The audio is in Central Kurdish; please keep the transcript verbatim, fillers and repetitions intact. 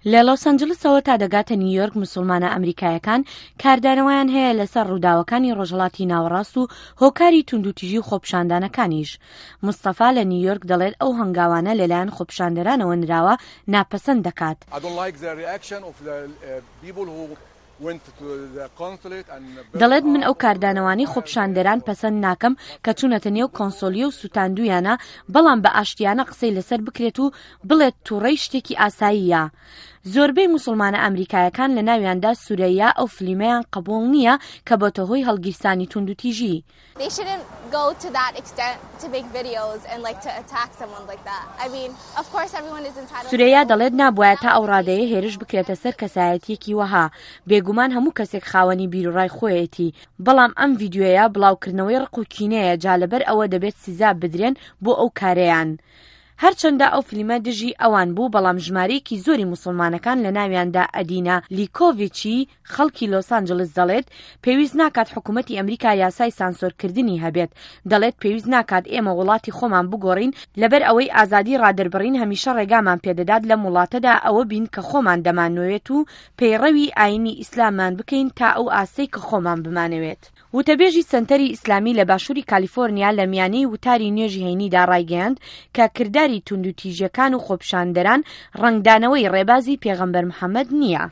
لە لۆس ئەنجلسەوە تا دەگاتە نیویۆرک، مسوڵمانە ئەمریکایەکان کاردانەوەیان هەیە لەسەر ڕووداوەکانی ڕۆژهەڵاتی ناوەڕاست و هۆکاری توندوتیژی و خۆپیشاندانەکانیش. مستەفا لە نیویۆرک دەڵێت ئەو هەنگاوانە لەلایەن خۆپیشاندەرانەوە نراوە ناپەسەند دەکات. دەڵێت من ئەو کاردانەوانەی خۆپیشاندەران پەسەند ناکەم کە چوونەتە نێو کۆنسۆلیە و سوتاندوویانە، بەڵام بە ئاشتیانە قسەی لەسەر بکرێت و بڵێت توڕەی شتێکی ئاساییە. زۆربەی موسڵمانە ئەمریکایەکان لە ناویاندا سورەیا ئەو فلیمەیان قبوڵ نییە کە بۆتە هۆی هەڵگیرسانی توندوتیژی. سورەیا دەڵێت نابوایە تا ئەو ڕادەیە هێرش بکرێتە سەر کەسایەتییەکی وەها، بێگومان هەموو کەسێک خاوەنی بیروڕای خۆیەتی، بەڵام ئەم ڤیدیۆیە بڵاوکردنەوەی ڕق و کینەیە جا لەبەر ئەوە دەبێت سزا بدرێن بۆ ئەو کارەیان. هەرچەندە ئەو فلیمە دژی ئەوان بوو بەڵام ژمارەیەکی زۆری موسڵمانەکان لەناویاندا ئەدینا لیکۆڤیچی خەڵکی لۆس ئانجلس دەڵێت پێویست ناکات حکومەتی ئەمریکا یاسای سانسۆرکردنی هەبێت دەڵێت پێویست ناکات ئێمە وڵاتی خۆمان بگۆڕین لەبەر ئەوەی ئازادی ڕادەربڕین هەمیشە ڕێگامان پێدەدات لەم وڵاتەدا ئەوە بین کە خۆمان دەمانەوێت و پەیڕەوی ئاینی ئیسلامان بکەین تا ئەو ئاستەی کە خۆمان بمانەوێت. وتەبێژی سەنتەری ئیسلامی لە باشووری کالیفۆرنیا لە میانەی وتاری نوێژی هەینیدا ڕایگەیاند کە کرداری توندوتیژیەکان و خۆپیشاندەران ڕەنگدانەوەی ڕێبازی پێغەمبەر محەمەد نییە.